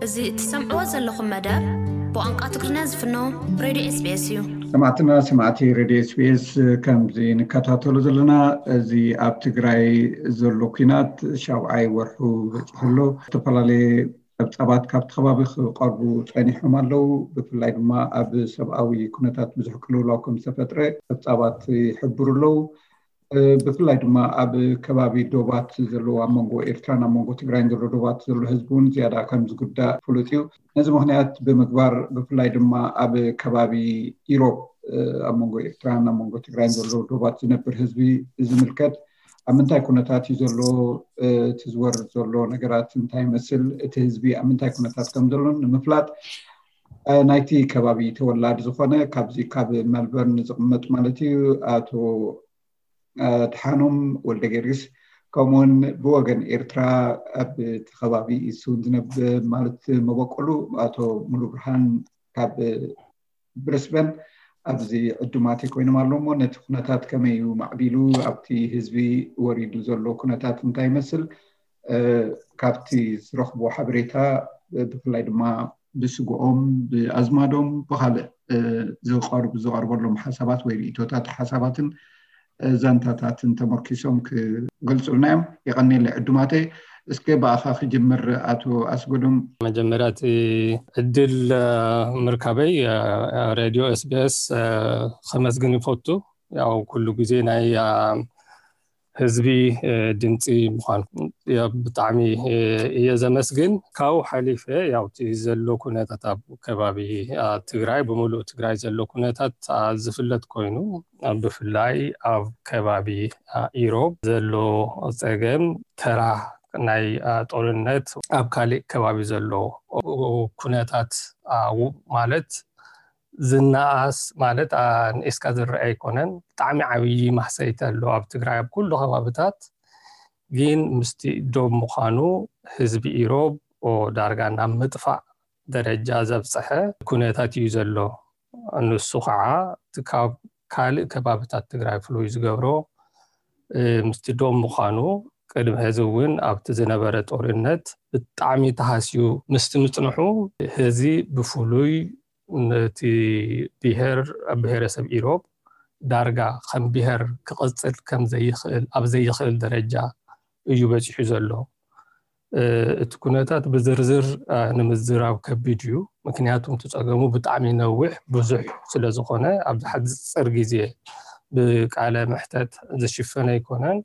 እዚ እትሰምዕዎ ዘለኹም መደብ ብቋንቋ ትግርኛ ዝፍኖ ሬድዮ ኤስቢኤስ እዩ። ሰማዕትና ሰማዕቲ ሬድዮ ኤስቢኤስ፣ ከምዚ ንከታተሎ ዘለና፣ እዚ ኣብ ትግራይ ዘሎ ኲናት ሻብዓይ ወርሑ በፂሑ ኣሎ። ዝተፈላለየ ጸብጻባት ካብቲ ከባቢ ክቐርቡ ጸኒሖም ኣለዉ። ብፍላይ ድማ ኣብ ሰብኣዊ ኩነታት ብዙሕ ቅልውላው ከም ዝተፈጥረ ጸብጻባት ይሕብሩ ኣለዉ። ብፍላይ ድማ ኣብ ከባቢ ዶባት ዘለዉ፣ ኣብ መንጎ ኤርትራን ኣብ መንጎ ትግራይን ዘሎ ዶባት ዘሎ ህዝቢ እውን ዝያዳ ከም ዝጉዳእ ፍሉጥ እዩ። ነዚ ምኽንያት ብምግባር ብፍላይ ድማ ኣብ ከባቢ ኢሮብ ኣብ መንጎ ኤርትራን ኣብ መንጎ ትግራይን ዘሎ ዶባት ዝነብር ህዝቢ ዝምልከት ኣብ ምንታይ ኩነታት እዩ ዘሎ፣ እቲ ዝወርድ ዘሎ ነገራት እንታይ ይመስል፣ እቲ ህዝቢ ኣብ ምንታይ ኩነታት ከም ዘሎ ንምፍላጥ ናይቲ ከባቢ ተወላዲ ዝኾነ ካብዚ ካብ መልበርን ዝቕመጥ ማለት እዩ ኣቶ ኣድሓኖም ወልደ ጊዮርጊስ፣ ከምኡውን ብወገን ኤርትራ ኣብ እቲ ከባቢ ኢሱ እውን ዝነብር ማለት መበቆሉ ኣቶ ሙሉ ብርሃን ካብ ብሪስበን ኣብዚ ዕዱማት ኮይኖም ኣለዉ። እሞ ነቲ ኩነታት ከመይ እዩ ማዕቢሉ፣ ኣብቲ ህዝቢ ወሪዱ ዘሎ ኩነታት እንታይ ይመስል፣ ካብቲ ዝረኽቦ ሓበሬታ ብፍላይ ድማ ብስግኦም ብኣዝማዶም ብካልእ ዝቀርቡ ዝቀርበሎም ሓሳባት ወይ ርእቶታት ሓሳባትን ዛንታታትን ተመርኪሶም ክገልፁልና እዮም። የቐንየለይ ዕዱማተይ። እስከ ብኣኻ ክጅምር ኣቶ ኣስጎዶም። መጀመርያ እቲ ዕድል ምርካበይ ሬድዮ ኤስቢኤስ ከመስግን ይፈቱ። ያው ኩሉ ግዜ ናይ ህዝቢ ድምፂ ምዃን ብጣዕሚ እየ ዘመስግን። ካብኡ ሓሊፈ ያው እቲ ዘሎ ኩነታት ኣብ ከባቢ ትግራይ ብምሉእ ትግራይ ዘሎ ኩነታት ዝፍለጥ ኮይኑ ብፍላይ ኣብ ከባቢ ኢሮብ ዘሎ ፀገም ተራ ናይ ጦርነት ኣብ ካሊእ ከባቢ ዘሎ ኩነታት ማለት ዝነኣስ ማለት ንኤስካ ዝረአ ኣይኮነን። ብጣዕሚ ዓብዪ ማህሰይቲ ኣሎ ኣብ ትግራይ ኣብ ኩሉ ከባብታት። ግን ምስቲ ዶብ ምዃኑ ህዝቢ ኢሮብ ዳርጋ ናብ ምጥፋእ ደረጃ ዘብፀሐ ኩነታት እዩ ዘሎ። ንሱ ከዓ ካብ ካልእ ከባብታት ትግራይ ፍሉይ ዝገብሮ ምስቲ ዶብ ምዃኑ ቅድሚ ሕዚ እውን ኣብቲ ዝነበረ ጦርነት ብጣዕሚ ተሃስዩ ምስቲ ምፅንሑ ሕዚ ብፍሉይ ነቲ ብሄር ብሄረሰብ ኢሮብ ዳርጋ ከም ብሄር ክቕፅል ከም ዘይኽእል ኣብ ዘይኽእል ደረጃ እዩ በፂሑ ዘሎ። እቲ ኩነታት ብዝርዝር ንምዝራብ ከቢድ እዩ። ምክንያቱ እቲ ፀገሙ ብጣዕሚ ነዊሕ ብዙሕ ስለ ዝኾነ ኣብዚ ሓፂር ግዜ ብቃለ መሕተት ዝሽፈን ኣይኮነን።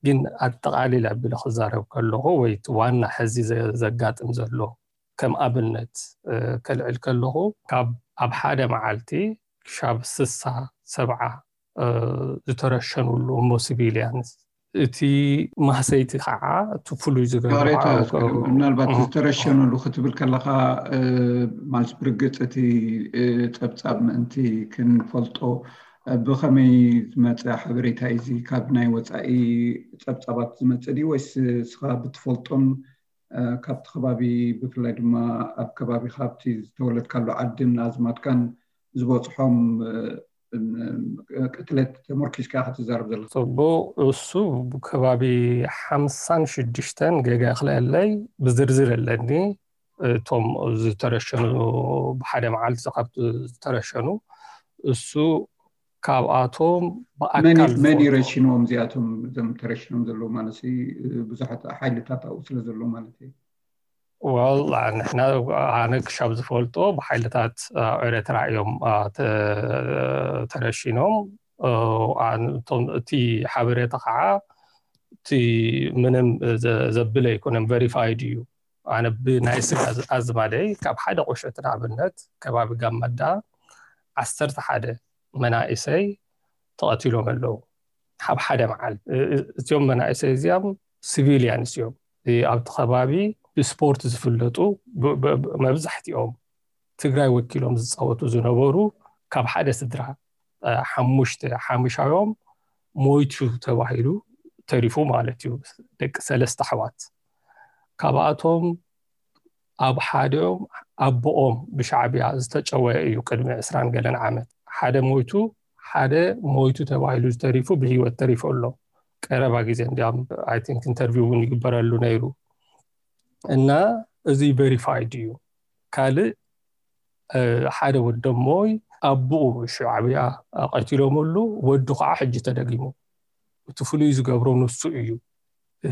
ግን ኣጠቓሊለ ኣቢለ ክዛረብ ከለኹ ወይ እቲ ዋና ሕዚ ዘጋጥም ዘሎ ከም ኣብነት ከልዕል ከለኹ ካብ ኣብ ሓደ መዓልቲ ክሻብ ስሳ ሰብዓ ዝተረሸኑሉ እሞ ሲቪልያንስ እቲ ማህሰይቲ ከዓ እቲ ፍሉይ ዝገብሮ ምናልባት ዝተረሸኑሉ ክትብል ከለካ ማለት ብርግፅ እቲ ፀብፃብ ምእንቲ ክንፈልጦ ብከመይ ዝመፀ ሓበሬታ እዩ? ካብ ናይ ወፃኢ ፀብፃባት ዝመፀ ድዩ ወይስ እስኻ ብትፈልጦን ካብቲ ከባቢ ብፍላይ ድማ ኣብ ከባቢ ካብቲ ዝተወለድካሉ ዓድን ኣዝማድካን ዝበፅሖም ቅትለት ተመርኪዝካ ክትዛረብ ዘለካ? ፅቡቅ። እሱ ከባቢ ሓምሳን ሽዱሽተን ገጋ ክልአለይ ብዝርዝር ኣለኒ። እቶም ዝተረሸኑ ብሓደ መዓልቲ ካብ ዝተረሸኑ እሱ ካብኣቶም ብኣካል መን ይረሽንዎም እዚኣቶም እዞም ተረሽኖም ዘለዉ ማለት ብዙሓት ሓይልታት ኣብኡ ስለ ዘለዉ ማለት እዩ። ወላ ንሕና ኣነ ክሻብ ዝፈልጦ ብሓይልታት ኤረትራ እዮም ተረሺኖም። እቲ ሓበሬታ ከዓ እቲ ምንም ዘብል ኣይኮነን፣ ቨሪፋይድ እዩ። ኣነ ብናይ ስጋ ኣዝማደይ ካብ ሓደ ቁሸት ንኣብነት ከባቢ ጋማዳ ዓሰርተ ሓደ መናእሰይ ተቐቲሎም ኣለዉ። ኣብ ሓደ መዓል እዚኦም መናእሰይ እዚኦም ሲቪልያንስ እዮም። ኣብቲ ከባቢ ብስፖርት ዝፍለጡ መብዛሕትኦም ትግራይ ወኪሎም ዝፃወቱ ዝነበሩ ካብ ሓደ ስድራ ሓሙሽተ ሓሙሻዮም ሞይቱ ተባሂሉ ተሪፉ ማለት እዩ። ደቂ ሰለስተ ኣሕዋት ካብኣቶም ኣብ ሓደኦም ኣቦኦም ብሻዕብያ ዝተጨወየ እዩ። ቅድሚ ዕስራን ገለን ዓመት ሓደ ሞይቱ ሓደ ሞይቱ ተባሂሉ ዝተሪፉ ብህይወት ተሪፉ ኣሎ። ቀረባ ግዜ እንዲያም ኣይ ቲንክ ኢንተርቪው እውን ይግበረሉ ነይሩ እና እዚ verified እዩ። ካልእ ሓደ ወደሞይ ኣቦኡ ሻዕብያ ቀቲሎምሉ፣ ወዱ ከዓ ሕጂ ተደጊሙ። እቲ ፍሉይ ዝገብሮ ንሱ እዩ።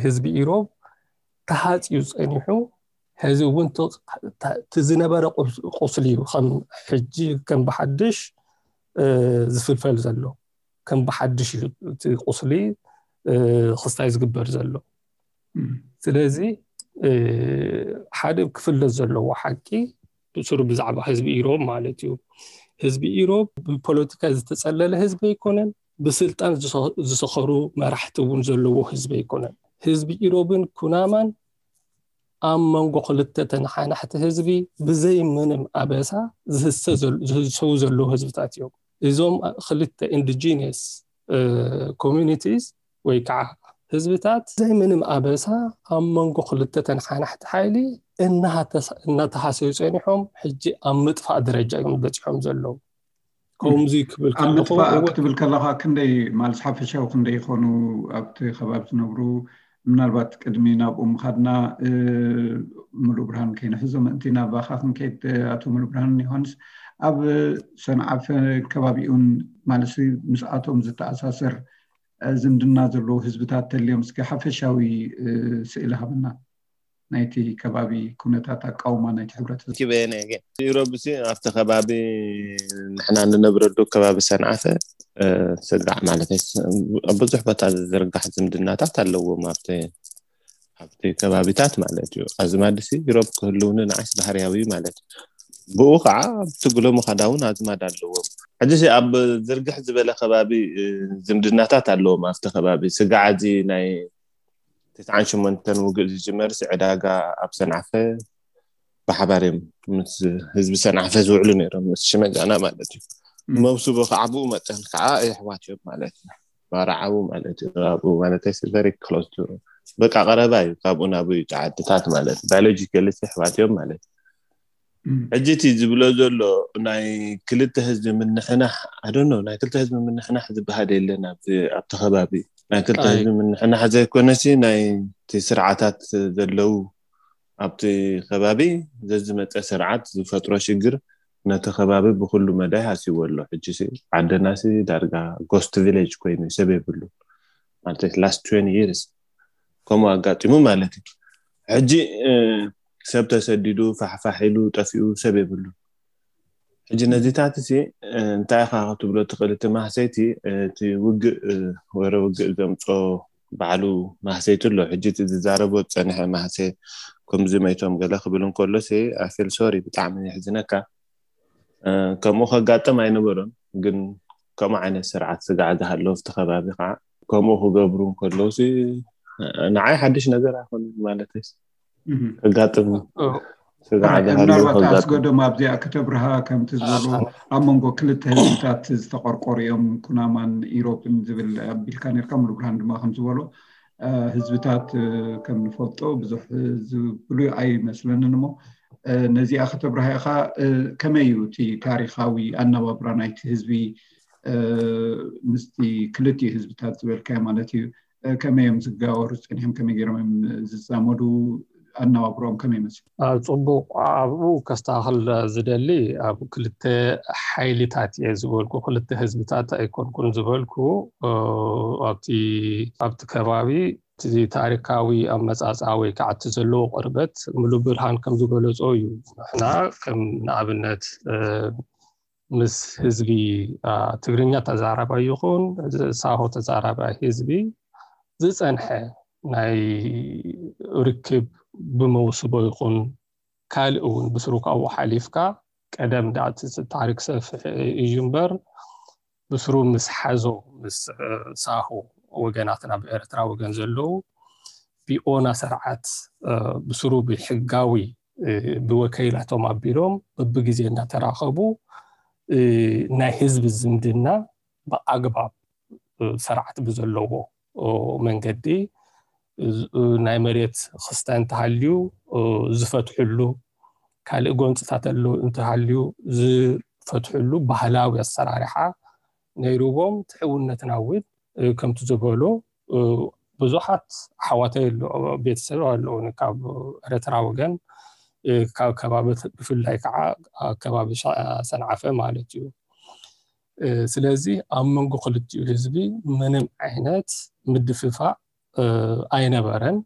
ህዝቢ ኢሮብ ተሃፅዩ ፀኒሑ፣ ሕዚ እውን እቲ ዝነበረ ቁስሊ ከም ሕጂ ከም ብሓድሽ ዝፍልፈል ዘሎ፣ ከም ብሓድሽ እዩ እቲ ቁስሊ ክስታይ ዝግበር ዘሎ። ስለዚ ሓደ ክፍለጥ ዘለዎ ሓቂ ብስሩ ብዛዕባ ህዝቢ ኢሮብ ማለት እዩ። ህዝቢ ኢሮብ ብፖለቲካ ዝተፀለለ ህዝቢ ኣይኮነን፣ ብስልጣን ዝሰኸሩ መራሕቲ እውን ዘለዎ ህዝቢ ኣይኮነን። ህዝቢ ኢሮብን ኩናማን ኣብ መንጎ ክልተ ተነሓናሕቲ ህዝቢ ብዘይ ምንም ኣበሳ ዝህሰው ዘለዉ ህዝብታት እዮም። እዞም ክልተ indigenous communities ወይ ከዓ ህዝብታት ብዘይ ምንም ኣበሳ ኣብ መንጎ ክልተ ተነሓናሕቲ ሓይሊ እናተሃሰዩ ፀኒሖም፣ ሕጂ ኣብ ምጥፋእ ደረጃ እዮም በፂሖም ዘለዉ። ከምዚ ክብል ኣብ ምጥፋእ ክትብል ከለካ ክንደይ ማለት ሓፈሻዊ ክንደይ ይኾኑ ኣብቲ ከባቢ ዝነብሩ? ምናልባት ቅድሚ ናብኡ ምኻድና ምሉእ ብርሃን ከይንሕዞ ምእንቲ ናባኻ ክንከይድ፣ ኣቶ ምሉእ ብርሃን ዮሃንስ፣ ኣብ ሰንዓፈ ከባቢኡን ማለት ምስኣቶም ዝተኣሳሰር ዝምድና ዘለዉ ህዝብታት ተልዮም እስኪ ሓፈሻዊ ስእሊ ሃበና ናይቲ ከባቢ ኩነታት ኣቃውማ ናይቲ ሕብረተሰብ። ኢሮብ ሲ ኣብቲ ከባቢ ንሕና ንነብረሉ ከባቢ ሰንዓፈ ስጋዕ ማለት ብዙሕ ቦታ ዝዝርጋሕ ዝምድናታት ኣለዎም ኣብቲ ኣብቲ ከባቢታት ማለት እዩ። ኣዝማድ ሲ ኢሮብ ክህልውኒ ንዓይስ ባህርያዊ ማለት እዩ። ብኡ ከዓ ኣብቲ ግሎ ምኻዳ እውን ኣዝማድ ኣለዎም። ሕጂ ሲ ኣብ ዝርግሕ ዝበለ ከባቢ ዝምድናታት ኣለዎም ኣብቲ ከባቢ። ስጋዕ እዚ ናይ ትስዓን ሸሞንተን ውግእ ዝጅመር ሲ ዕዳጋ ኣብ ሰንዓፈ ብሓባር እዮም ምስ ህዝቢ ሰንዓፈ ዝውዕሉ ነይሮም፣ ምስ ሽመጃና ማለት እዩ። መውስቦ ከዓ ብኡ መጠን ከዓ የሕዋት እዮም ማለት እዩ። ባርዓዊ ማለት እዩ። ኣብኡ ማለት very close to በቃ ቀረባ እዩ። ካብኡ ናብኡ እዩ ዓድታት ማለት biologically የሕዋት እዮም ማለት እዩ። ሕጂ እቲ ዝብሎ ዘሎ ናይ ክልተ ህዝቢ ምንሕናሕ ኣደኖ ናይ ክልተ ህዝቢ ምንሕናሕ ዝበሃል የለን ኣብቲ ከባቢ። ናይ ክልተ ህዝቢ ምንሕናሕ ዘይኮነሲ ናይ ስርዓታት ዘለዉ ኣብቲ ከባቢ ዘዝመፀ ስርዓት ዝፈጥሮ ሽግር ነቲ ከባቢ ብኩሉ መዳይ ሃስይዎ ኣሎ። ሕጂ ዓደናሲ ዳርጋ ghost village ኮይኑ ሰብ የብሉ ማለት last twenty years ከምኡ ኣጋጢሙ ማለት እዩ። ሕጂ ሰብ ተሰዲዱ ፋሕፋሕ ኢሉ ጠፊኡ ሰብ የብሉ። ሕጂ ነዚታት ሲ እንታይ ኢኻ ክትብሎ ትኽእል? እቲ ማህሰይቲ እቲ ውግእ ወረ ውግእ ዘምፆ ባዕሉ ማህሰይቲ ኣሎ። ሕጂ ዝዛረቦ ዝፀንሐ ማህሰ ከምዚ መይቶም ገለ ክብል እንከሎ ሲ I feel sorry፣ ብጣዕሚ የሕዝነካ። ከምኡ ከጋጥም ኣይነበሮን፣ ግን ከምኡ ዓይነት ስርዓት ስጋዕ ዝሃለዎ ኣብቲ ከባቢ ከዓ ከምኡ ክገብሩ እንከለዉ ሲ ንዓይ ሓድሽ ነገር ኣይኮነን ማለት ከጋጥም ምናልባት ኣስገዶም ኣብዚኣ ከተብርሃ ከምቲ ዝበሎ ኣብ መንጎ ክልተ ህዝብታት ዝተቆርቆሩ እዮም ኩናማን ኢሮብን ዝብል ኣቢልካ ነርካ። ሙሉ ብርሃን ድማ ከም ዝበሎ ህዝብታት ከም ንፈልጦ ብዙሕ ዝብሉ ኣይመስለንን እሞ ነዚኣ ከተብርሃ ኢኻ። ከመይ እዩ እቲ ታሪኻዊ ኣነባብራ ናይቲ ህዝቢ ምስቲ ክልቲኡ ህዝብታት ዝበልካዮ ማለት እዩ? ከመይ እዮም ዝጋወሩ ፀኒሖም? ከመይ ገይሮም እዮም ዝዛመዱ? ኣነባብሮኦም ከመይ ይመስል? ጽቡቕ። ኣብኡ ከስተኻኽል ዝደሊ ኣብ ክልተ ሓይልታት እየ ዝበልኩ፣ ክልተ ህዝብታት ኣይኮንኩን ዝበልኩ። ኣብቲ ኣብቲ ከባቢ እቲ ታሪካዊ ኣመጻጽኣ ወይ ከዓ እቲ ዘለዎ ቅርበት ምሉእ ብርሃን ከም ዝገለጾ እዩ። ንሕና ከም ንኣብነት ምስ ህዝቢ ትግርኛ ተዛራባይ ይኹን ሳሆ ተዛራባይ ህዝቢ ዝፀንሐ ናይ ርክብ ብመውስቦ ይኹን ካልእ እውን ብስሩ ካብኡ ሓሊፍካ ቀደም ዳኣ እቲ ታሪክ ሰፍሕ እዩ እምበር ብስሩ ምስ ሓዞ ምስ ሳሆ ወገናትና ብኤርትራ ወገን ዘለዉ ብኦና ስርዓት ብስሩ ብሕጋዊ ብወከይላቶም ኣቢሎም በብግዜ እናተራኸቡ ናይ ህዝቢ ዝምድና ብኣግባብ ስርዓት ብዘለዎ መንገዲ ናይ መሬት ክስታይ እንተሃልዩ ዝፈትሕሉ ካልእ ጎንፅታት ኣሎ እንተሃልዩ ዝፈትሕሉ ባህላዊ ኣሰራርሓ ነይርዎም ትሕውነትና እውን ከምቲ ዝበሎ ብዙሓት ኣሕዋተይ ኣሎ ቤተሰብ ኣለውኒ ካብ ኤረትራ ወገን ካብ ከባቢ ብፍላይ ከዓ ኣብ ከባቢ ሰንዓፈ ማለት እዩ። ስለዚ ኣብ መንጎ ክልቲኡ ህዝቢ ምንም ዓይነት ምድፍፋእ ኣይነበረን።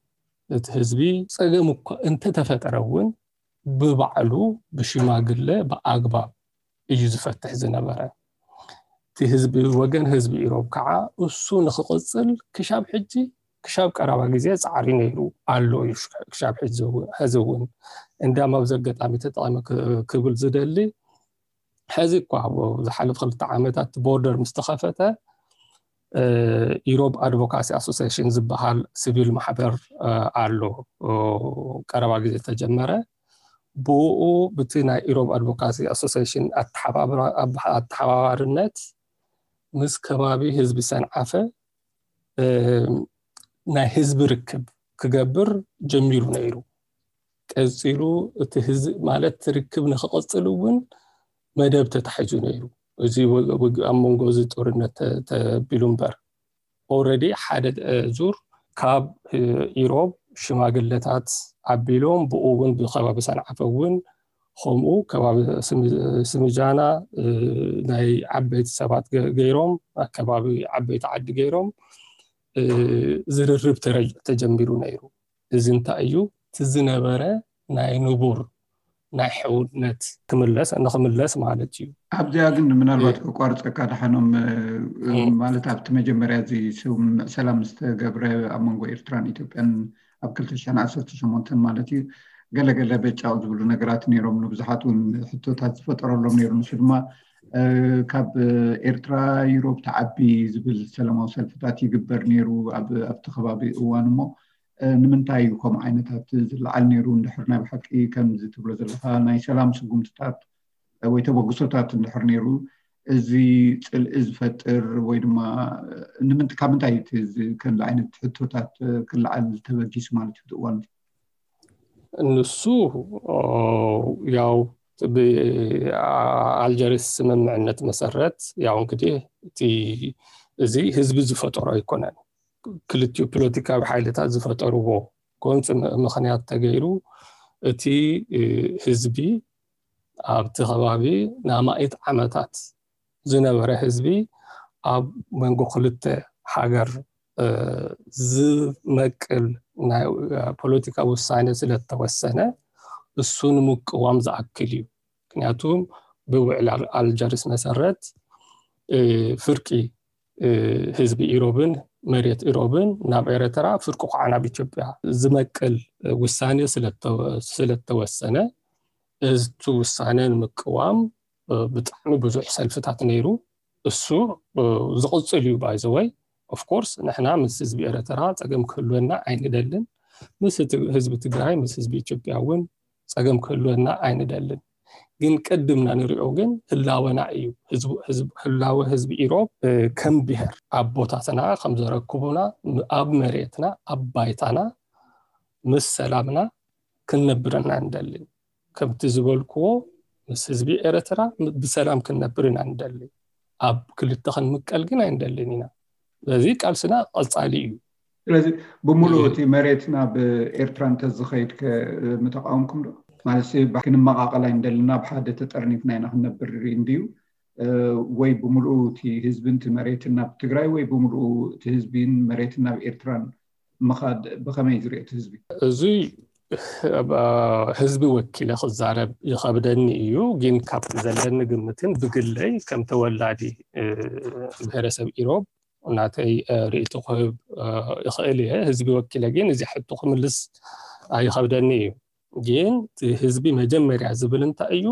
እቲ ህዝቢ ፀገም እኳ እንተተፈጠረ እውን ብባዕሉ ብሽማግለ ብኣግባብ እዩ ዝፈትሕ ዝነበረ። እቲ ህዝቢ ወገን ህዝቢ ኢሮብ ከዓ እሱ ንክቕፅል ክሻብ ሕጂ ክሻብ ቀረባ ግዜ ፃዕሪ ነይሩ ኣሎ እዩ። ክሻብ ሕዚ እውን እንዳ ኣብዚ ኣጋጣሚ ተጠቐመ ክብል ዝደሊ ሕዚ እኳ ዝሓለፍ ክልተ ዓመታት ቦርደር ምስ ተኸፈተ ኢሮብ ኣድቮካሲ ኣሶሲሽን ዝበሃል ሲቪል ማሕበር ኣሎ። ቀረባ ግዜ ተጀመረ። ብኡ ብቲ ናይ ኢሮብ ኣድቮካሲ ኣሶሲሽን ኣተሓባባርነት ምስ ከባቢ ህዝቢ ሰንዓፈ ናይ ህዝቢ ርክብ ክገብር ጀሚሩ ነይሩ። ቀፂሉ እቲ ህዝቢ ማለት ርክብ ንክቐፅል እውን መደብ ተታሒዙ ነይሩ። እዚ ኣብ መንጎ እዚ ጦርነት ተቢሉ እምበር ኦረዲ ሓደ ዙር ካብ ኢሮብ ሽማግለታት ኣቢሎም ብኡ እውን ብከባቢ ሰንዓፈ እውን ከምኡ ከባቢ ስምጃና ናይ ዓበይቲ ሰባት ገይሮም ኣከባቢ ዓበይቲ ዓዲ ገይሮም ዝርርብ ተጀሚሩ ነይሩ። እዚ እንታይ እዩ? እቲ ዝነበረ ናይ ንቡር ናይ ሕውነት ክምለስ ንክምለስ ማለት እዩ። ኣብዚኣ ግን ምናልባት ከቋርፀካ ደሓኖም ማለት ኣብቲ መጀመርያ እዚ ስምምዕ ሰላም ዝተገብረ ኣብ መንጎ ኤርትራን ኢትዮጵያን ኣብ ክልተ ሽሕን ዓሰርተ ሸሞንተን ማለት እዩ ገለገለ በጫቕ ዝብሉ ነገራት ነይሮም። ንብዙሓት እውን ሕቶታት ዝፈጠረሎም ነይሩ። ንሱ ድማ ካብ ኤርትራ ዩሮብ ትዓቢ ዝብል ሰላማዊ ሰልፍታት ይግበር ነይሩ ኣብቲ ከባቢ እዋን። እሞ ንምንታይ እዩ ከምኡ ዓይነታት ዝለዓል ነይሩ? እንድሕር ናይ ብሓቂ ከምዚ ትብሎ ዘለካ ናይ ሰላም ስጉምትታት ወይ ተበግሶታት እንድሕር ነይሩ እዚ ፅልኢ ዝፈጥር ወይ ድማ ካብ ምንታይ እቲ ከምዚ ዓይነት ሕቶታት ክለዓል ተበጊሱ ማለት እዩ? እዋን ንሱ ያው ብኣልጀሪስ ስምምዕነት መሰረት ያው እንግዲህ እቲ እዚ ህዝቢ ዝፈጠሮ ኣይኮነን። ክልቲኡ ፖለቲካዊ ሓይልታት ዝፈጠርዎ ጎንፂ ምክንያት ተገይሩ እቲ ህዝቢ ኣብቲ ከባቢ ንኣማኢት ዓመታት ዝነበረ ህዝቢ ኣብ መንጎ ክልተ ሃገር ዝመቅል ናይ ፖለቲካ ውሳኔ ስለተወሰነ እሱ ንምቅዋም ዝኣክል እዩ። ምክንያቱ ብውዕል ኣልጀርስ መሰረት ፍርቂ ህዝቢ ኢሮብን መሬት ኢሮብን ናብ ኤረትራ ፍርቁ ከዓ ናብ ኢትዮጵያ ዝመቅል ውሳኔ ስለተወሰነ እቲ ውሳኔ ንምቅዋም ብጣዕሚ ብዙሕ ሰልፍታት ነይሩ። እሱ ዝቕፅል እዩ። By the way, of course ንሕና ምስ ህዝቢ ኤረትራ ፀገም ክህልወና ኣይንደልን። ምስ ህዝቢ ትግራይ ምስ ህዝቢ ኢትዮጵያ እውን ፀገም ክህልወና ኣይንደልን። ግን ቅድምና ንሪኦ ግን ህላወና እዩ። ህላወ ህዝቢ ኢሮብ ከም ብሄር ኣቦታትና ከም ዘረክቡና ኣብ መሬትና ኣብ ባይታና ምስ ሰላምና ክንነብር ኢና ንደሊ። ከምቲ ዝበልክዎ ምስ ህዝቢ ኤረትራ ብሰላም ክንነብር ኢና ንደሊ። ኣብ ክልተ ክንምቀል ግን ኣይንደልን ኢና። ስለዚ ቃልስና ቀፃሊ እዩ። ስለዚ ብምሉእ እቲ መሬት ናብ ኤርትራ እንተዝኸይድ ከ ምተቃወምኩም ዶ? ማለት ክንመቃቀል ኣይንደልና፣ ብሓደ ተጠርኒፍና ኢና ክንነብር እንድዩ ወይ ብምሉኡ እቲ ህዝቢ እቲ መሬትን ናብ ትግራይ ወይ ብምሉኡ እቲ ህዝቢን መሬትን ናብ ኤርትራን ምኻድ ብኸመይ ዝሪኦ እቲ ህዝቢ? እዚ ህዝቢ ወኪለ ክዛረብ ይኸብደኒ እዩ። ግን ካብ ዘለኒ ግምትን ብግለይ ከም ተወላዲ ብሄረሰብ ኢሮብ ናተይ ርእይቶ ክህብ ይኽእል እየ። ህዝቢ ወኪለ ግን እዚ ሕቶ ክምልስ ይኸብደኒ እዩ። ግን ህዝቢ መጀመርያ ዝብል እንታይ እዩ?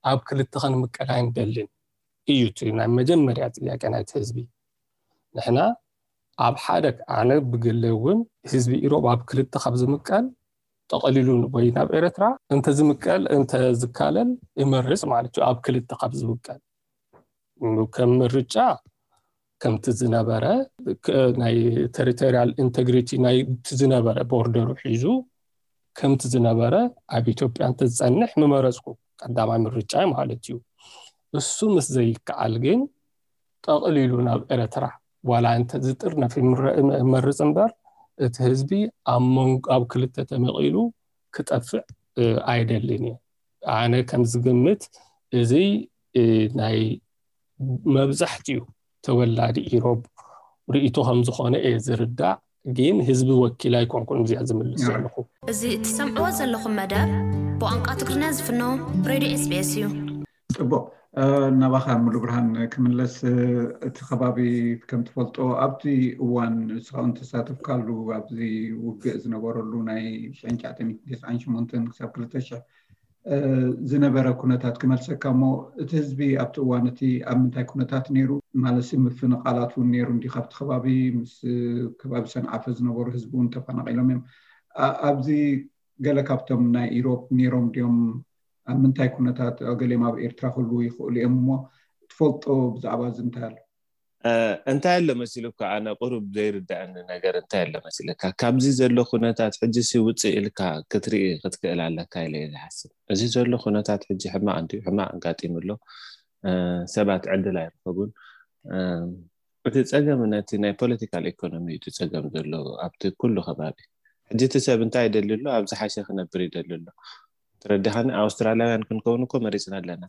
ኣብ ክልተ ክንምቀል ኣይንደልን እዩ እቲ ናይ መጀመርያ ጥያቄ ናይቲ ህዝቢ። ንሕና ኣብ ሓደ ኣነ ብግለ እውን ህዝቢ ኢሮብ ኣብ ክልተ ካብ ዝምቀል ጠቐሊሉ ወይ ናብ ኤረትራ እንተዝምቀል እንተዝካለል ይመርጽ ማለት እዩ። ኣብ ክልተ ካብ ዝምቀል ከም ምርጫ ከምቲ ዝነበረ ናይ territorial integrity ናይቲ ዝነበረ ቦርደሩ ሒዙ ከምቲ ዝነበረ ኣብ ኢትዮጵያ እንተዝፀንሕ ምመረፅኩ፣ ቀዳማይ ምርጫ ማለት እዩ። እሱ ምስ ዘይከኣል ግን ጠቕሊሉ ናብ ኤረትራ ዋላ እንተዝጥርነፍ ይመርፅ እምበር እቲ ህዝቢ ኣብ መንጎ ኣብ ክልተ ተመቒሉ ክጠፍእ ኣይደልን እየ። ኣነ ከም ዝግምት እዚ ናይ መብዛሕትኡ ተወላዲ ኢሮብ ርእይቶ ከም ዝኾነ እየ ዝርዳእ። ግን ህዝቢ ወኪል ኣይኮንኩን እዚኣ ዝምልስ ዘለኹ። እዚ እትሰምዕዎ ዘለኹም መደብ ብቋንቋ ትግርኛ ዝፍኖ ሬድዮ ኤስቢኤስ እዩ። ጽቡቕ። ናባኻ ሙሉ ብርሃን ክምለስ። እቲ ከባቢ ከም ትፈልጦ ኣብቲ እዋን ንስኻ እውን ተሳተፍካሉ ኣብዚ ውግእ ዝነበረሉ ናይ ሽሕን ትሽዓተ ሚእትን ተስዓን ሸሞንተን ክሳብ ክልተ ሽሕ ዝነበረ ኩነታት ክመልሰካ እሞ፣ እቲ ህዝቢ ኣብቲ እዋን እቲ ኣብ ምንታይ ኩነታት ነይሩ? ማለት ምፍንቓላት እውን ነይሩ እንዲ ካብቲ ከባቢ ምስ ከባቢ ሰንዓፈ ዝነበሩ ህዝቢ እውን ተፈናቒሎም እዮም። ኣብዚ ገለ ካብቶም ናይ ኢሮብ ነይሮም ድዮም? ኣብ ምንታይ ኩነታት? ገሊኦም ኣብ ኤርትራ ክህልዉ ይኽእሉ እዮም እሞ ትፈልጦ ብዛዕባ እዚ እንታይ ኣሎ? እንታይ ኣሎ መሲሉካ? ኣነ ቁሩብ ዘይርዳእኒ ነገር እንታይ ኣሎ መሲለካ? ካብዚ ዘሎ ኩነታት ሕጂ ሲ ውፅእ ኢልካ ክትርኢ ክትክእል ኣለካ ኢለ እየ ዝሓስብ። እዚ ዘሎ ኩነታት ሕጂ ሕማቕ እንድዩ፣ ሕማቕ ኣጋጢሙ ኣሎ። ሰባት ዕድል ኣይረኸቡን። እቲ ፀገም ነቲ ናይ ፖለቲካል ኢኮኖሚ እዩ እቲ ፀገም ዘሎ ኣብቲ ኩሉ ከባቢ። ሕጂ እቲ ሰብ እንታይ ይደሊ ኣሎ? ኣብ ዝሓሸ ክነብር ይደሊ ኣሎ። ተረዲኻኒ? ኣውስትራልያውያን ክንከውን እኮ መሪፅና ኣለና።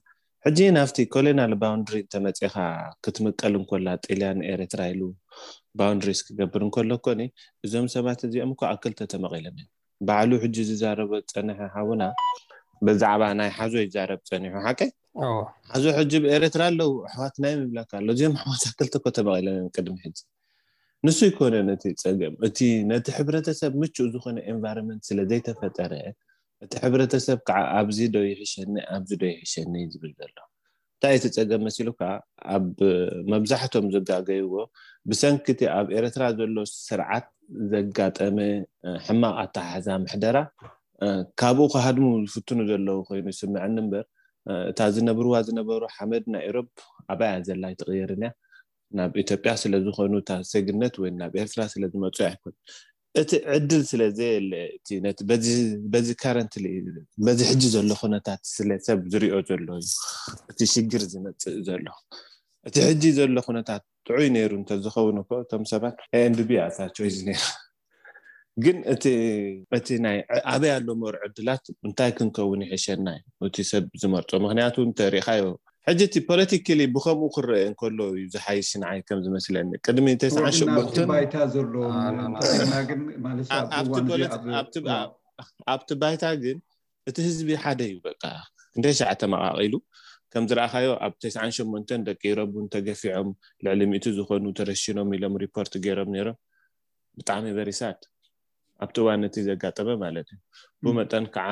ሕጂ ናብቲ ኮሎናል ባውንድሪ እንተመፂኻ ክትምቀል እንኮላ ጥልያን ኤርትራ ኢሉ ባውንድሪስ ክገብር እንከሎ እኮ እዞም ሰባት እዚኦም እኮ ኣብ ክልተ ተመቒሎም እዮም። ባዕሉ ሕጂ ዝዛረቦ ዝፀንሐ ሓውና ብዛዕባ ናይ ሓዞ ይዛረብ ፀኒሑ ሓቀይ ሓዞ ሕጂ ብኤርትራ ኣለዉ ኣሕዋትና እዮም ይብለካ ኣሎ። እዚኦም ኣሕዋት ኣብ ክልተ እኮ ተመቒሎም እዮም ቅድሚ ሕጂ። ንሱ ይኮነ ነቲ ፀገም እቲ ነቲ ሕብረተሰብ ምቹእ ዝኾነ ኤንቫይሮንመንት ስለ ዘይተፈጠረ እቲ ሕብረተሰብ ከዓ ኣብዚ ዶ ይሕሸኒ ኣብዚ ዶ ይሕሸኒ ዝብል ዘሎ እንታይ እቲ ፀገም መሲሉ ከዓ ኣብ መብዛሕቶም ዘጋገይዎ ብሰንኪ እቲ ኣብ ኤርትራ ዘሎ ስርዓት ዘጋጠመ ሕማቕ ኣተሓሕዛ ምሕደራ ካብኡ ክሃድሙ ዝፍትኑ ዘለዉ ኮይኑ ይስምዐኒ እምበር እታ ዝነብርዋ ዝነበሩ ሓመድ ናይ ኢሮብ ኣባያ ዘላ ኣይትቕየርን እያ ናብ ኢትዮጵያ ስለዝኾኑ እታ ዜግነት ወይ ናብ ኤርትራ ስለዝመፁ ኣይኮን እቲ ዕድል ስለዘየለ በዚ currently በዚ ሕጂ ዘሎ ኩነታት ስለ ሰብ ዝሪኦ ዘሎ እዩ እቲ ሽግር ዝመፅእ ዘሎ እቲ ሕጂ ዘሎ ኩነታት ጥዑይ ነይሩ እንተዝኸውን እኮ እቶም ሰባት ኤንድቢ ኣታ ቾይስ ነይሩ ግን እቲ ናይ ኣበይ ኣሎ መር ዕድላት እንታይ ክንከውን ይሕሸና እዩ እቲ ሰብ ዝመርፆ ምክንያቱ እንተሪኢኻዮ ሕጂ እቲ ፖለቲካሊ ብከምኡ ክረአ እንከሎ እዩ ዝሓይሽ ንዓይ ከም ዝመስለኒ ቅድሚ ተስዓን ሸሞንተን ባይታ ዘሎ ግን ማለት ኣብቲ ባይታ ግን እቲ ህዝቢ ሓደ እዩ በቃ ክንደይ ሸዓ ተመቃቂሉ ከም ዝረኣኻዮ ኣብ ተስዓን ሸሞንተን ደቂ ኢሮብ እውን ተገፊዖም ልዕሊ ሚእቲ ዝኾኑ ተረሽኖም ኢሎም ሪፖርት ገይሮም ነይሮም ብጣዕሚ very sad ኣብቲ እዋን እቲ ዘጋጠመ ማለት እዩ ብመጠን ከዓ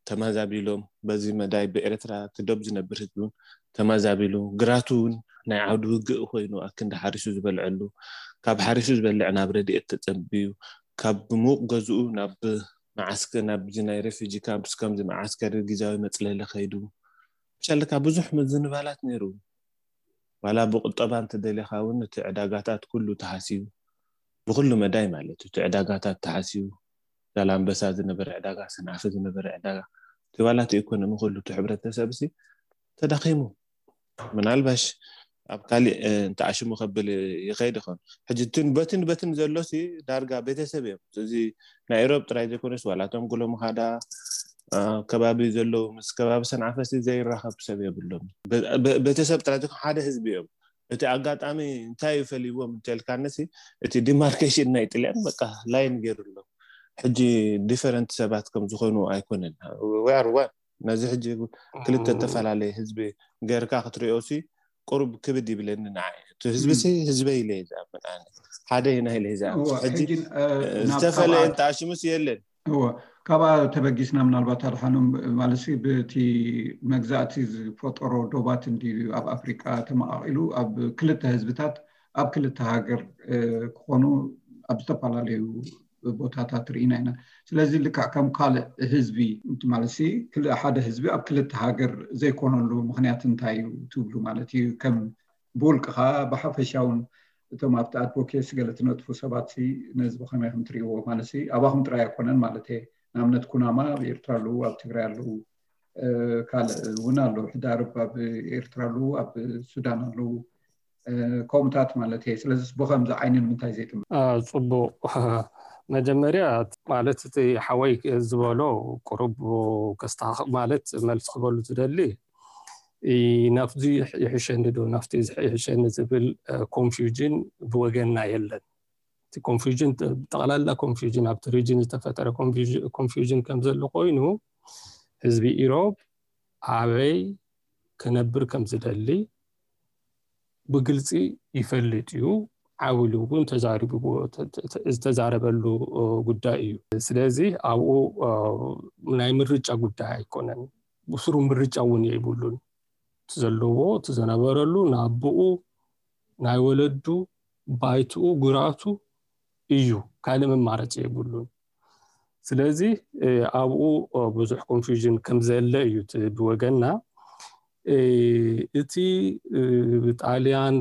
ተማዛቢሎም በዚ መዳይ ብኤርትራ ትደብ ዝነብር ህዝቢ እውን ተማዛቢሉ ግራቱ እውን ናይ ዓውዲ ውግእ ኮይኑ ኣክንዲ ሓሪሱ ዝበልዐሉ ካብ ሓሪሱ ዝበልዕ ናብ ረድኤት ተፀብዩ ካብ ምውቕ ገዝኡ ናብ መዓስከ ናብዚ ናይ ሬፊጂ ካምፕስ ከምዚ መዓስከር ግዛዊ መፅለሊ ከይዱ ብሻለካ ብዙሕ ምዝንባላት ነይሩ ዋላ ብቁጠባ እንተደሊኻ እውን እቲ ዕዳጋታት ኩሉ ተሃስዩ ብኩሉ መዳይ ማለት እዩ እቲ ዕዳጋታት ተሃስዩ ዛላንበሳ ዝነበረ ዕዳጋ ሰንዓፈ ዝነበረ ዕዳጋ እቲ ዋላ እቲ ኢኮኖሚ ኩሉ እቲ ሕብረተሰብ ሲ ተዳኺሙ ምናልባሽ ኣብ ካሊእ እንተኣሽሙ ከብል ይኸይድ ይኸውን ሕጂ እትን በትን በትን ዘሎ ሲ ዳርጋ ቤተሰብ እዮም እዚ ናይ ኢሮብ ጥራይ ዘይኮነስ ዋላቶም ጉሎ ምኻዳ ከባቢ ዘለዉ ምስ ከባቢ ሰንዓፈ ሲ ዘይራኸብ ሰብ የብሎም ቤተሰብ ጥራይ ዘይኮነ ሓደ ህዝቢ እዮም እቲ ኣጋጣሚ እንታይ ይፈልይዎም እንተልካኒ ሲ እቲ demarcation ናይ ጥልያን በቃ line ገይሩ ኣሎ ሕጂ different ሰባት ከም ዝኾኑ ኣይኮነን we are one ነዚ ሕጂ ክልተ ዝተፈላለየ ህዝቢ ገርካ ክትሪኦ ሲ ቁሩብ ክብድ ይብለኒ ንዓይ እቲ ህዝቢ ሲ ህዝበይ ኢለ ዝኣምን ኣነ ሓደ ኢና ኢለ ዝኣምን ሕጂ ዝተፈለየ እንተኣሽሙስ የለን እዎ ካብኣ ተበጊስና ምናልባት ኣድሓኖም ማለት ብቲ መግዛእቲ ዝፈጠሮ ዶባት እንዲ ኣብ ኣፍሪቃ ተመቃቂሉ ኣብ ክልተ ህዝብታት ኣብ ክልተ ሃገር ክኾኑ ኣብ ዝተፈላለዩ ቦታታት ርኢና ኢና ስለዚ ልክዕ ከም ካልእ ህዝቢ ማለት ሓደ ህዝቢ ኣብ ክልተ ሃገር ዘይኮነሉ ምክንያት እንታይ እዩ ትብሉ ማለት እዩ ከም ብውልቅኻ ብሓፈሻውን እቶም ኣብቲ advocacy ገለ ትነጥፉ ሰባት ነዚ ብኸመይ ከም ትሪእዎ ማለት ኣባኹም ጥራይ ኣይኮነን ማለት እየ ንኣብነት ኩናማ ኣብ ኤርትራ ኣለዉ ኣብ ትግራይ ኣለዉ ካልእ እውን ኣሎ ሕዳርብ ኣብ ኤርትራ ኣለዉ ኣብ ሱዳን ኣለዉ ከምኡታት ማለት እየ ስለዚ ብኸምዚ ዓይኒ ንምንታይ ዘይጥምር ፅቡቅ መጀመርያ ማለት እቲ ሓወይ ዝበሎ ቁሩብ ከስታኽ ማለት መልሲ ክበሉ ዝደሊ ናፍዚ ይሕሸኒ ዶ ናፍቲ ይሕሸኒ ዝብል ኮንፊውዥን ብወገንና የለን። እቲ ኮንፊውዥን ብጠቕላላ ኮንፊውዥን ኣብቲ ሪጅን ዝተፈጠረ ኮንፊውዥን ከም ዘሎ ኮይኑ ህዝቢ ኢሮብ ኣበይ ክነብር ከም ዝደሊ ብግልፂ ይፈልጥ እዩ። ዓውሉ እውን ተዛሪቡ ዝተዛረበሉ ጉዳይ እዩ። ስለዚ ኣብኡ ናይ ምርጫ ጉዳይ ኣይኮነን። ብስሩ ምርጫ እውን የይብሉን። እቲ ዘለዎ እቲ ዝነበረሉ ናብኡ ናይ ወለዱ ባይትኡ ጉራቱ እዩ። ካልእ መማረፂ የብሉን። ስለዚ ኣብኡ ብዙሕ ኮንፊውዥን ከም ዘለ እዩ ብወገና። እቲ ብጣልያን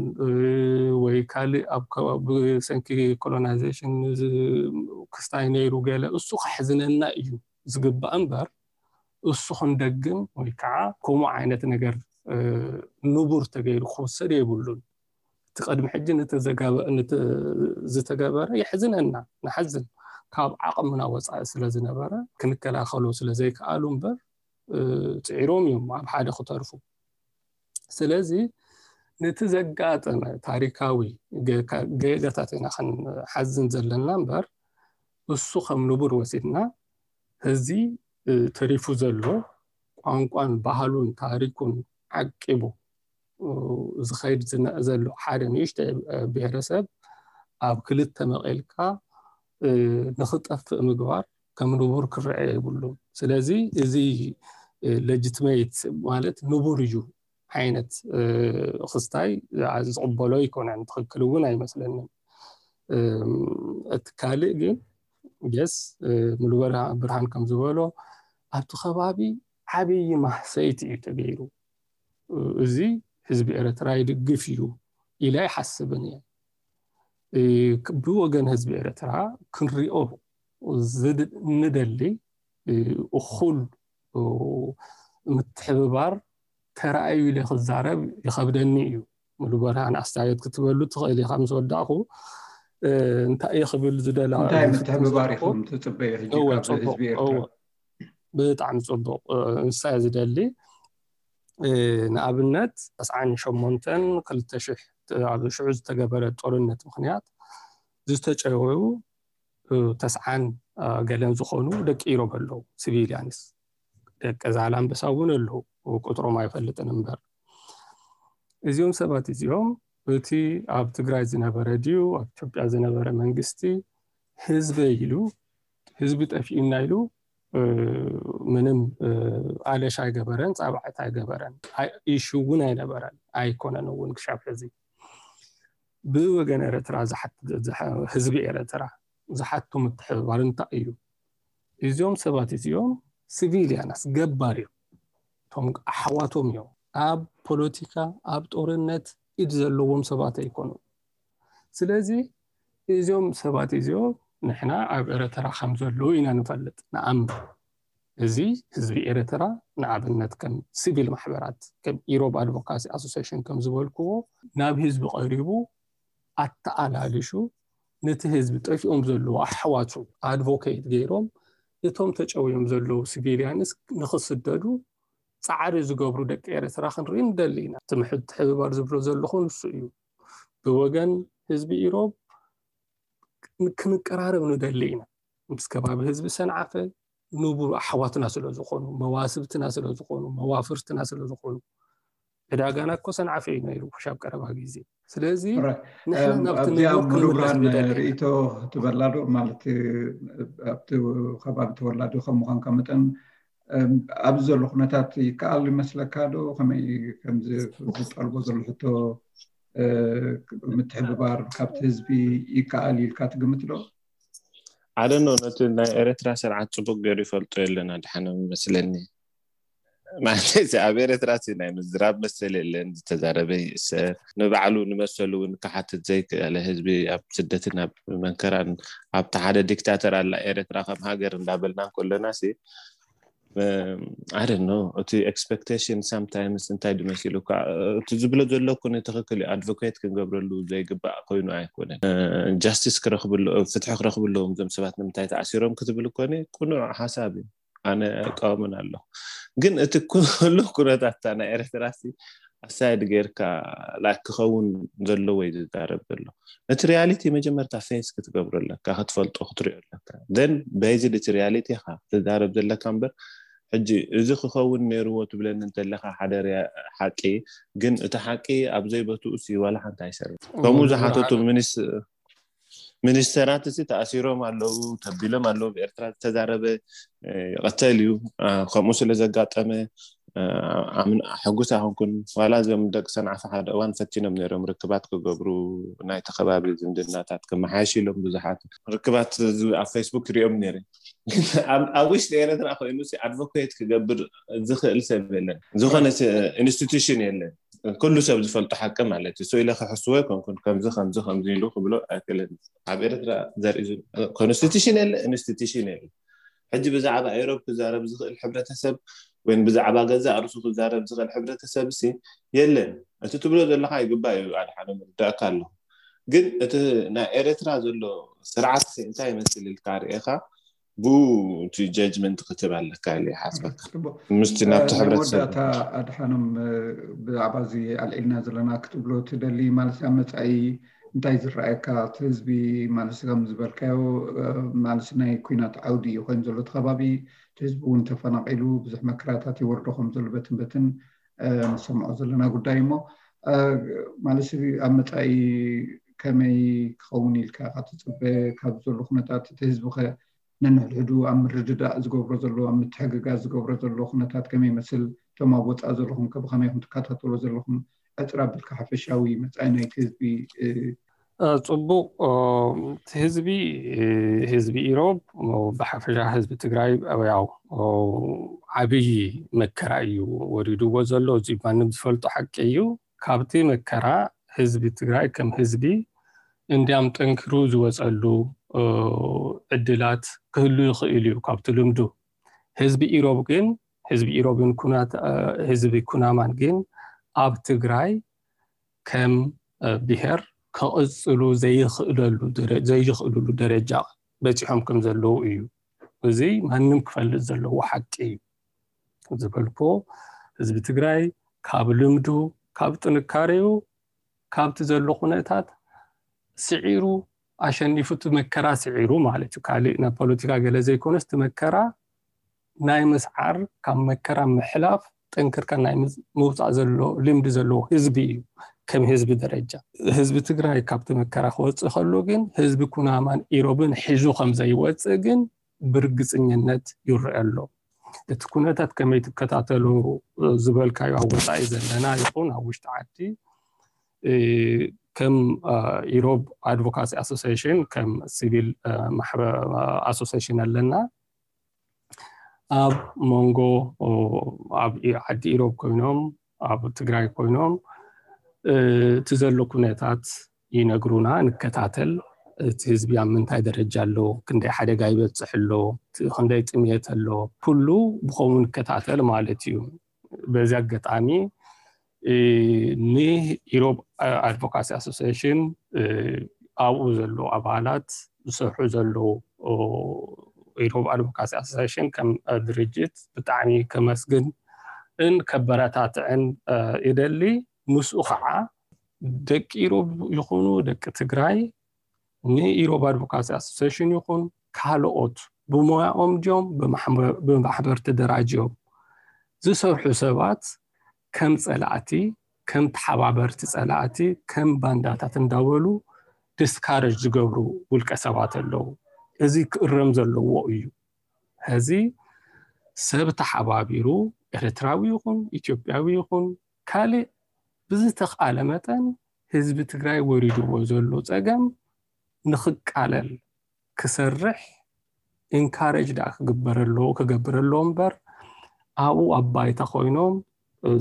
ወይ ካልእ ኣብ ብሰንኪ ኮሎናይዜሽን ክስታይ ነይሩ ገለ እሱ ከሕዝነና እዩ ዝግባእ እምበር እሱ ክንደግም ወይ ከዓ ከምኡ ዓይነት ነገር ንቡር ተገይሩ ክወሰድ የብሉን። እቲ ቅድሚ ሕጂ ዝተገበረ የሕዝነና፣ ንሓዝን። ካብ ዓቕምና ወፃኢ ስለ ዝነበረ ክንከላኸሎ ስለ ዘይከኣሉ እምበር ፅዒሮም እዮም ኣብ ሓደ ክተርፉ። ስለዚ ነቲ ዘጋጠመ ታሪካዊ ጌጋታት ኢና ክንሓዝን ዘለና እምበር እሱ ከም ንቡር ወሲድና እዚ ተሪፉ ዘሎ ቋንቋን ባህሉን ታሪኩን ዓቂቡ ዝኸይድ ዘሎ ሓደ ንእሽተ ብሔረሰብ ኣብ ክልተ መቐልካ ንኽጠፍእ ምግባር ከም ንቡር ክረአ የብሉን። ስለዚ እዚ ሌጂትሜት ማለት ንቡር እዩ ዓይነት ክስታይ ዝቕበሎ ኣይኮነን፣ ትኽክል እውን ኣይመስለንን። እቲ ካልእ ግን የስ ሙሉ ብርሃን ከም ዝበሎ ኣብቲ ከባቢ ዓብዪ ማህሰይቲ እዩ ተገይሩ። እዚ ህዝቢ ኤርትራ ይድግፍ እዩ ኢለ ኣይሓስብን እየ። ብወገን ህዝቢ ኤርትራ ክንሪኦ ንደሊ እኹል ምትሕብባር ተራእዩ ኢለ ክዛረብ ይኸብደኒ እዩ። ሙሉ ብርሃን ኣስተያየት ክትበሉ ትኽእል ኢኻ። ምስ ወዳእኹ እንታይ እየ ክብል ዝደላ እንታይ ምትሕብባር ኢኹም ትፅበዩ ሕጂ ካብ ህዝቢ ኤርትራ? ብጣዕሚ ፅቡቕ። ንሳ ዝደሊ ንኣብነት ተስዓን ሸሞንተን ክልተ ሽሕ ኣብ ሽዑ ዝተገበረ ጦርነት ምክንያት ዝተጨወዩ ተስዓን ገለን ዝኾኑ ደቂ ኢሮብ ኣለዉ። ሲቪሊያንስ ደቂ ዛላምበሳ እውን ኣለዉ። ቁጥሮም ኣይፈልጥን እምበር እዚኦም ሰባት እዚኦም እቲ ኣብ ትግራይ ዝነበረ ድዩ ኣብ ኢትዮጵያ ዝነበረ መንግስቲ ህዝበይ ኢሉ ህዝቢ ጠፊኡና ኢሉ ምንም ኣለሽ ኣይገበረን፣ ፃብዐት ኣይገበረን፣ ኢሹ እውን ኣይነበረን ኣይኮነን እውን ክሻብ ሕዚ። ብወገን ኤርትራ ህዝቢ ኤርትራ ዝሓቱ ምትሕብባር እንታይ እዩ? እዚኦም ሰባት እዚኦም ሲቪሊያናስ ገባር እዮም። እቶም ኣሕዋቶም እዮም። ኣብ ፖለቲካ ኣብ ጦርነት ኢድ ዘለዎም ሰባት ኣይኮኑን። ስለዚ እዚኦም ሰባት እዚኦም ንሕና ኣብ ኤርትራ ከም ዘለዉ ኢና ንፈልጥ ንኣምን። እዚ ህዝቢ ኤርትራ ንኣብነት ከም ሲቪል ማሕበራት ከም ኢሮብ ኣድቮካሲ ኣሶሲሽን ከም ዝበልክዎ ናብ ህዝቢ ቀሪቡ ኣተኣላልሹ ነቲ ህዝቢ ጠፊኦም ዘለዉ ኣሕዋቱ ኣድቮኬት ገይሮም እቶም ተጨውዮም ዘለዉ ሲቪሊያንስ ንክስደዱ ፃዕሪ ዝገብሩ ደቂ ኤርትራ ክንርኢ ንደሊ ኢና። እቲ ምትሕብባር ዝብሎ ዘለኹ ንሱ እዩ። ብወገን ህዝቢ ኢሮብ ክንቀራረብ ንደሊ ኢና። ምስ ከባቢ ህዝቢ ሰንዓፈ ንቡር ኣሕዋትና ስለ ዝኾኑ፣ መዋስብትና ስለ ዝኾኑ፣ መዋፍርትና ስለ ዝኾኑ። ዕዳጋና እኮ ሰንዓፈ እዩ ነይሩ ክሻብ ቀረባ ግዜ። ስለዚ ንሕና ናብቲ ኣብዚኣ ንቡር ሙሉ ክንምለስ ብርሃን ንደሊ ኢና። ርእይቶ ትበላ ዶ? ማለት ኣብቲ ከባቢ ተወላዲ ከም ምዃንካ መጠን ኣብዚ ዘሎ ኩነታት ይከኣል ይመስለካ ዶ? ከመይ ከምዚ ዝጠልቦ ዘሎ ሕቶ ምትሕብባር ካብቲ ህዝቢ ይከኣል ኢልካ ትግምት ዶ? ኣደኖ ነቲ ናይ ኤርትራ ስርዓት ፅቡቅ ገይሩ ይፈልጦ የለን ኣድሓኖም ይመስለኒ። ማለት ኣብ ኤርትራ ናይ ምዝራብ መሰል የለን፣ ዝተዛረበ ይእሰር፣ ንባዕሉ ንመሰሉ እውን ክሓትት ዘይክእለ ህዝቢ ኣብ ስደትን ኣብ መንከራን ኣብቲ ሓደ ዲክታተር ኣላ ኤርትራ ከም ሃገር እንዳበልና እንከለና ሲ I don't know, እቲ expectation sometimes እንታይ ድመሲሉ እኳ እቲ ዝብሎ ዘሎ እኮ ትኽክል እዩ። Advocate ክንገብረሉ ዘይግባእ ኮይኑ ኣይኮነን። ጃስቲስ ክረኽብሉ፣ ፍትሒ ክረኽብሉ እዞም ሰባት ንምንታይ ተኣሲሮም ክትብል እኮ ቅኑዕ ሓሳብ እዩ። ኣነ እቃወምን ኣለኹ። ግን እቲ ኩሉ ኩነታት ናይ ኤርትራ ሲ ኣሳይድ ጌርካ ላይክ ክኸውን ዘለዎ እዩ ዝዛረብ ዘሎ። እቲ ሪያሊቲ መጀመርታ ፌስ ክትገብሮ ኣለካ፣ ክትፈልጦ ክትሪኦ ኣለካ። ን በዚ እቲ ሪያሊቲ ኢኻ ትዛረብ ዘለካ እምበር ሕጂ እዚ ክኸውን ነይርዎ ትብለኒ እንተለካ ሓደ ሓቂ፣ ግን እቲ ሓቂ ኣብ ዘይቦትኡ ሲ ዋላ ሓንቲ ኣይሰርሕ። ከምኡ ዝሓተቱ ሚኒስተራት ሲ ተኣሲሮም ኣለዉ፣ ተቢሎም ኣለዉ። ብኤርትራ ዝተዛረበ ይቐተል እዩ። ከምኡ ስለ ዘጋጠመ ሕጉስ ኣይኮንኩን። ዋላ እዞም ደቂ ሰንዓፈ ሓደ እዋን ፈቲኖም ነይሮም ርክባት ክገብሩ፣ ናይቲ ከባቢ ዝምድናታት ክመሓየሽ ኢሎም ብዙሓት ርክባት ኣብ ፌስቡክ ሪኦም ነይረ። ኣብ ውሽጢ ኤረትራ ኮይኑ ኣድቮኬት ክገብር ዝኽእል ሰብ የለን፣ ዝኾነ ኢንስቲቱሽን የለን። ኩሉ ሰብ ዝፈልጦ ሓቂ ማለት እዩ። ኢለ ክሕስዎ ኣይኮንኩን፣ ከምዚ ከምዚ ከምዚ ኢሉ ክብሎ ኣይክእልን። ኣብ ኤረትራ ዘርኢ ኮንስቲቱሽን የለ፣ ኢንስቲቱሽን የለ። ሕጂ ብዛዕባ ኤሮብ ክዛረብ ዝኽእል ሕብረተሰብ ወይ ብዛዕባ ገዛእ ርእሱ ክዛረብ ዝኽእል ሕብረተሰብ ሲ የለን። እቲ ትብሎ ዘለካ ይግባእ እዩ፣ ኣድሓኖም፣ ይርዳእካ ኣለኹ። ግን እቲ ናይ ኤረትራ ዘሎ ስርዓት እንታይ ይመስል ኢልካ ርኢኻ ብኡ እቲ ጀጅመንት ክትብ ኣለካ ኢለ ይሓስበካ። ምስቲ ናብቲ ናይ ሕብረተሰብ መወዳእታ፣ ኣድሓኖም፣ ብዛዕባ እዚ ኣልዒልና ዘለና ክትብሎ ትደሊ ማለት ኣብ መጻኢ እንታይ ዝረኣየካ? እቲ ህዝቢ ማለት ከም ዝበልካዮ ማለት ናይ ኩናት ዓውዲ እዩ ኮይኑ ዘሎ እቲ ከባቢ። እቲ ህዝቢ እውን ተፈናቒሉ ብዙሕ መከራታት ይወርዶ ከም ዘሎ በትን በትን ንሰምዖ ዘለና ጉዳይ እሞ ማለት ኣብ መጻኢ ከመይ ክኸውን ኢልካ ኢኻ ትጽበ? ካብ ዘሎ ኩነታት እቲ ህዝቢ ከ ነንሕድሕዱ ኣብ ምርድዳእ ዝገብሮ ዘሎ፣ ኣብ ምትሕግጋዝ ዝገብሮ ዘሎ ኩነታት ከመይ ይመስል? እቶም ኣብ ወጻኢ ዘለኹም ከ ብኸመይ ኢኹም ትከታተሎ ዘለኹም? ዕፅር ኣቢልካ ሓፈሻዊ መጻኢ ናይቲ ህዝቢ። ጽቡቕ። እቲ ህዝቢ ህዝቢ ኢሮብ ብሓፈሻ ህዝቢ ትግራይ ያው ዓብዪ መከራ እዩ ወሪድዎ ዘሎ። እዚ ማንም ዝፈልጦ ሓቂ እዩ። ካብቲ መከራ ህዝቢ ትግራይ ከም ህዝቢ እንዲያም ጠንኪሩ ዝወፀሉ ዕድላት ክህሉ ይኽእል እዩ። ካብቲ ልምዱ ህዝቢ ኢሮብ ግን ህዝቢ ኢሮብን ህዝቢ ኩናማን ግን ኣብ ትግራይ ከም ብሄር ከቕፅሉ ዘይኽእለሉ ዘይኽእልሉ ደረጃ በፂሖም ከም ዘለዉ እዩ። እዚ ማንም ክፈልጥ ዘለዎ ሓቂ እዩ። ዝበልኩ ህዝቢ ትግራይ ካብ ልምዱ ካብ ጥንካሬኡ ካብቲ ዘሎ ኩነታት ስዒሩ ኣሸኒፉ እቲ መከራ ስዒሩ ማለት እዩ። ካልእ ናይ ፖለቲካ ገለ ዘይኮነስ እቲ መከራ ናይ ምስዓር ካብ መከራ ምሕላፍ ጠንክርካ ናይ ምውፃእ ዘሎ ልምዲ ዘለዎ ህዝቢ እዩ። ከም ህዝቢ ደረጃ ህዝቢ ትግራይ ካብቲ መከራ ክወፅእ ከሎ ግን ህዝቢ ኩናማን ኢሮብን ሒዙ ከም ዘይወፅእ ግን ብርግፅኝነት ይረአ ኣሎ። እቲ ኩነታት ከመይ ትከታተሉ ዝበልካዮ ኣብ ወፃኢ ዘለና ይኹን ኣብ ውሽጢ ዓዲ ከም ኢሮብ ኣድቮካሲ ኣሶሲሽን ከም ሲቪል ኣሶሲሽን ኣለና። ኣብ መንጎ ኣብ ዓዲ ኢሮብ ኮይኖም ኣብ ትግራይ ኮይኖም እቲ ዘሎ ኩነታት ይነግሩና፣ ንከታተል። እቲ ህዝቢ ኣብ ምንታይ ደረጃ ኣሎ፣ ክንደይ ሓደጋ ይበፅሕ ኣሎ፣ ክንደይ ጥምየት ኣሎ፣ ኩሉ ብኸምኡ ንከታተል ማለት እዩ። በዚ ኣጋጣሚ ንኢሮብ ኣድቮካሲ ኣሶሲሽን ኣብኡ ዘለዉ ኣባላት ዝሰርሑ ዘለዉ ኢሮብ ኣድቮካሲ ኣሶሲሽን ከም ድርጅት ብጣዕሚ ከመስግን ን ከበረታትዕን ይደሊ። ምስኡ ከዓ ደቂ ኢሮብ ይኹኑ ደቂ ትግራይ ንኢሮብ ኣድቮካሲ ኣሶሲሽን ይኹን ካልኦት ብሞያኦም ድዮም ብማሕበር ተደራጅዮም ዝሰርሑ ሰባት ከም ፀላእቲ ከም ተሓባበርቲ ፀላእቲ ከም ባንዳታት እንዳበሉ ዲስካረጅ ዝገብሩ ውልቀ ሰባት ኣለዉ። እዚ ክእረም ዘለዎ እዩ። ሕዚ ሰብ ተሓባቢሩ ኤርትራዊ ይኹን ኢትዮጵያዊ ይኹን ካልእ ብዝተኽኣለ መጠን ህዝቢ ትግራይ ወሪድዎ ዘሎ ፀገም ንኽቃለል ክሰርሕ ኢንካሬጅ ደኣ ክግበር ኣለዎ ክገብር ኣለዎ እምበር ኣብኡ ኣብ ባይታ ኮይኖም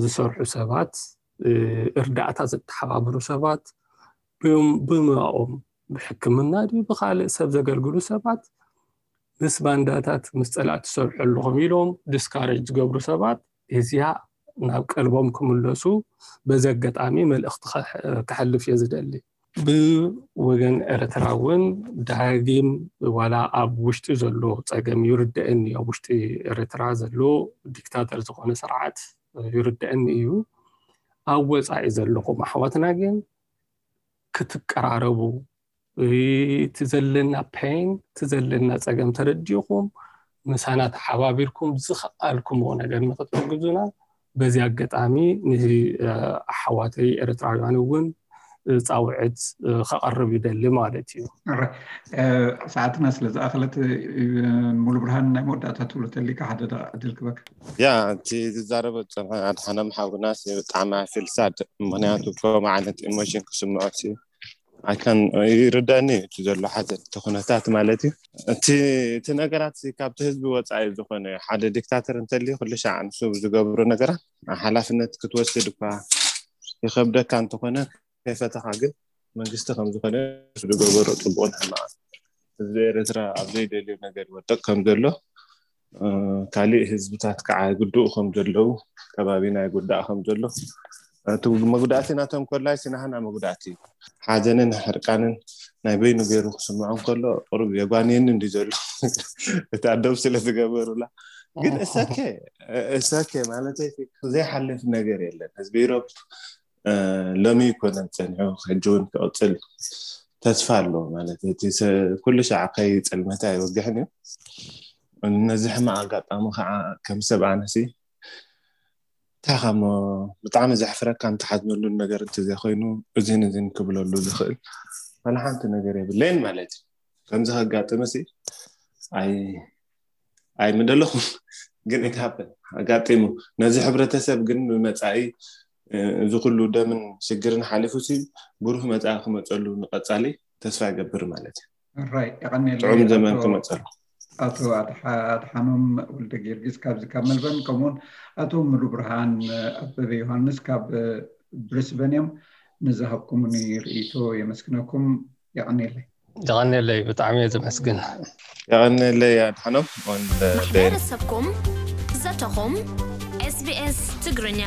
ዝሰርሑ ሰባት እርዳእታ ዘተሓባብሩ ሰባት ብሞያኦም ብሕክምና ድዩ ብካልእ ሰብ ዘገልግሉ ሰባት ምስ ባንዳታት ምስ ፀላእቲ ትሰርሑ ኣለኹም ኢሎም ዲስካሬጅ ዝገብሩ ሰባት እዚኣ ናብ ቀልቦም ክምለሱ በዚ ኣጋጣሚ መልእኽቲ ከሕ- ከሕልፍ እየ ዝደሊ። ብወገን ኤርትራ እውን ዳግም ዋላ ኣብ ውሽጢ ዘሎ ፀገም ይርደአኒ፣ ኣብ ውሽጢ ኤርትራ ዘሎ ዲክታተር ዝኾነ ስርዓት ይርደአኒ እዩ። ኣብ ወፃኢ ዘለኹም ኣሕዋትና ግን ክትቀራረቡ፣ እቲ ዘለና ፔን፣ እቲ ዘለና ፀገም ተረዲእኩም ምሳና ተሓባቢርኩም ዝኸኣልኩምዎ ነገር ንክትሕግዙና በዚ ኣጋጣሚ ንኣሕዋተይ ኤርትራውያን እውን ፃውዕት ከቐርብ ይደሊ ማለት እዩ። ሰዓትና ስለ ዝኣኸለት፣ ሙሉ ብርሃን፣ ናይ መወዳእታ ትብሎ ተሊካ ሓደ ደቂቕ ዕድል ክበካ። ያ እቲ ዝዛረበ ዝፀንሐ ኣድሓኖም ሓውናስ ብጣዕሚ ኣፊልሳድ። ምክንያቱ ከምኡ ዓይነት ኢሞሽን ክስምዖ ኣይካን ይርዳኒ እቲ ዘሎ ሓዘን እቲ ኩነታት ማለት እዩ። እቲ እቲ ነገራት ካብቲ ህዝቢ ወፃኢ ዝኾነ ሓደ ዲክታተር እንተልዩ ኩሉ ሻዕ ንሱ ዝገብሮ ነገራት ሓላፍነት ክትወስድ እኳ ይኸብደካ እንተኾነ ከይፈተኻ ግን መንግስቲ ከም ዝኾነ ዝገበሮ ፅቡቕን ሕማቕ ህዝቢ ኤርትራ ኣብ ዘይደልዮ ነገር ይወደቕ ከም ዘሎ ካሊእ ህዝብታት ከዓ ይጉድኡ ከም ዘለዉ ከባቢና ይጉዳእ ከም ዘሎ እቲ መጉዳእቲ ናቶም ኮላይ ስናህና መጉዳእቲ እዩ። ሓዘንን ሕርቃንን ናይ በይኑ ገይሩ ክስምዖ እንከሎ ቁሩብ የጓንየኒ እንዲ ዘሎ እቲ ኣደብ ስለ ዝገበሩላ ግን እሰከ እሰከ ማለት ዘይሓልፍ ነገር የለን። ህዝቢ ኢሮብ ሎሚ ይኮነን ፀኒሑ ሕጂ እውን ክቕፅል ተስፋ ኣሎ ማለት እቲ ኩሉ ሻዕ ከይ ፀልመታ ይወግሕን እዩ። ነዚ ሕማቕ ኣጋጣሚ ከዓ ከም ሰብ ኣነሲ እንታይ ከሞ ብጣዕሚ ዘሕፍረካ እንተሓዝነሉን ነገር እንተዘይኮይኑ እዚን እዚን ክብለሉ ዝኽእል ዋላ ሓንቲ ነገር የብለይን ማለት እዩ። ከምዚ ከጋጥምሲ ኣይ ኣይምደለኹም ግን ኢትሃብን ኣጋጢሙ ነዚ ሕብረተሰብ ግን ብመፃኢ እዚ ኩሉ ደምን ሽግርን ሓሊፉ ሲ ብሩህ መፃኢ ክመፀሉ ንቐፃሊ ተስፋ ይገብር ማለት እዩ። ራይ የቐኔለይ ጥዑም ዘመን ኣቶ- ክመፀሉ። ኣቶ ኣድሓ- ኣድሓኖም ወልደ ጊዮርጊስ ካብዚ ካብ መልበርን ከምኡውን ኣቶ ሙሉ ብርሃን ኣበበ ዮሃንስ ካብ ብሪስበን እዮም። ንዝሃብኩምኒ ርእይቶ የመስግነኩም። የቐኔለይ። የቐኔለይ፣ ብጣዕሚ እየ ዘመስግን። የቐኔለይ ኣድሓኖም ወንደ ማሕበረሰብኩም ዘተኹም ኤስቢኤስ ትግርኛ